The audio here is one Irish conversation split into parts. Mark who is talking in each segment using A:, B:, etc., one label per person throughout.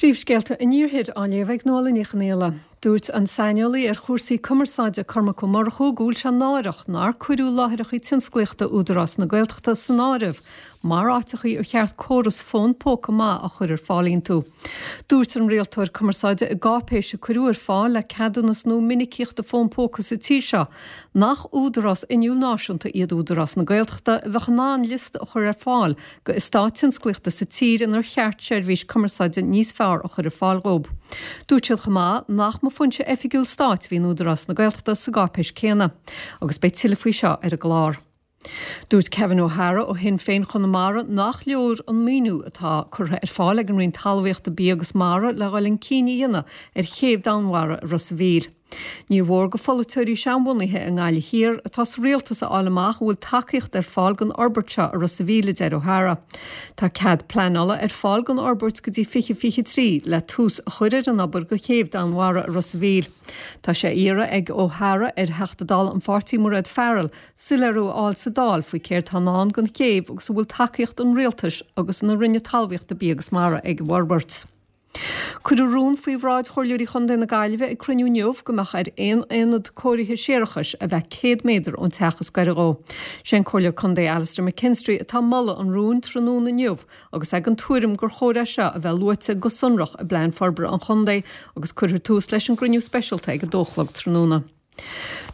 A: Príomhscéalta an Iarthair á léamh ag Nuala Ní Chonghaile. Dúirt an saineolaí ar chúrsaí cumarsáide Cormac Ó Murchú go bhfuil sé náireach nár cuireadh láithreacha tionsclaíochta Údarás na Gaeltachta san áireamh mar áiteachaí ar cheart córas fón póca maith a chur ar fáil iontu. Dúirt an rialtóir cumarsáide i gcáipéis a cuireadh ar fáil le ceadúnas nua minicíochta fón póca sa tír seo nach údarás inniúil náisiúnta iad Údarás na Gaeltachta a bheadh in ann liosta a chur ar fáil go eastáit tionsclaíochta sa tír inar cheart seirbhís cumarsáide níos fearr a chur ar fáil dhóib. Dúirt siad chomh maith nach mba foinse oifigiúil stáit a bhí in Údarás na Gaeltachta sa gcáipéis céanna. Agus beidh tuilleadh faoi seo ar an gclár. Dúirt Kevin O'Hara ó Shinn Féin Chonamara nach leor an maoiniú atá curtha ar fáil ag an Roinn Talmhaíochta, Bia agus Mara le dhul chun cinn a dhéanamh ar chéibh Danmhara i Ros a' Mhíl. Níor mhór go pholaiteoirí seanbhunaithe i nGaillimh Thiar atá sa rialtas a fháil amach an bhfuil tacaíocht ar fáil don fhorbairt seo i Ros a' Mhíl, a deir O'Hara. Tá cead pleanála ar fáil don fhorbairt go dtí 2023 le tús a chur ar an obair go chéibh Danmhara i Ros a' Mhíl. Tá sé á iarraidh ag O'Hara ar Theachta Dála an pháirtí Mairéad Farrell soiléiriú a fháil sa Dáil faoi céard tá i ndán don chéibh agus an bhfuil tacaíocht an rialtais agus na Roinne Talmhaíochta Bia agus Mara ag an bhforbairt. Cuireadh rún faoi bhráid Chomhairleoirí Chontae na Gaillimhe ag cruinniú inniu go mbeadh ar aon aonad cóirithe séarachais a bheith 100 méadar ón teach is gaire dhó. Sé an Comhairleoir Contae Alastair McKinstry atá ag moladh an rúin tráthnóna inniu agus é den tuairim gur chóir é seo a bheith luaite go sonrach i bPlean Forbartha an Chontae agus cuirfear tús leis an gcruinniú speisialta ag a dó a chlog tráthnóna.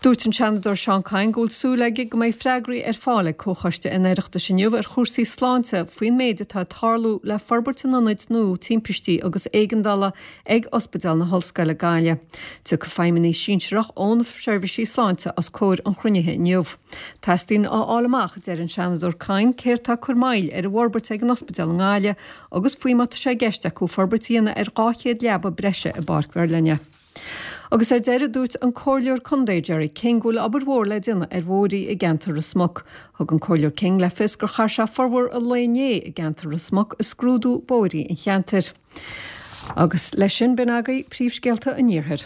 A: Dúirt an Seanadóir Seán Kyne go bhfuil súil aige go mbeidh freagraí ar fáil ag Comhchoiste an Oireachtais inniu ar chúrsaí sláinte faoin méid atá ag tarlú le forbairt an ionaid nua timpistí agus éigeandála ag Ospidéal na hOllscoile Gaillimh. Tiocfaidh feidhmeannaigh sinsearach ó na seirbhísí sláinte os comhair an chruinnithe inniu. Teastaíonn a fháil amach, a deir an Seanadóir Kyne, céard atá ag cur moill ar an bhforbairt ag an ospidéal i nGaillimh agus faoi má tá sé i gceist acu forbairt a dhéanamh ar 200 leaba breise i bPáirc Mherlinne. Agus ar deireadh, dúirt an Comhairleoir Contae Gerry King go bhfuil obair mhór le déanamh ar bhóithrí i gceantar Ros Muc. Thug an Comhairleoir King le fios gur chaith sé formhór an lae inné i gceantar Ros Muc ag scrúdú bóithrí an cheantair. Agus leis sin, b'in agaibh príomhscéalta an Iarthair.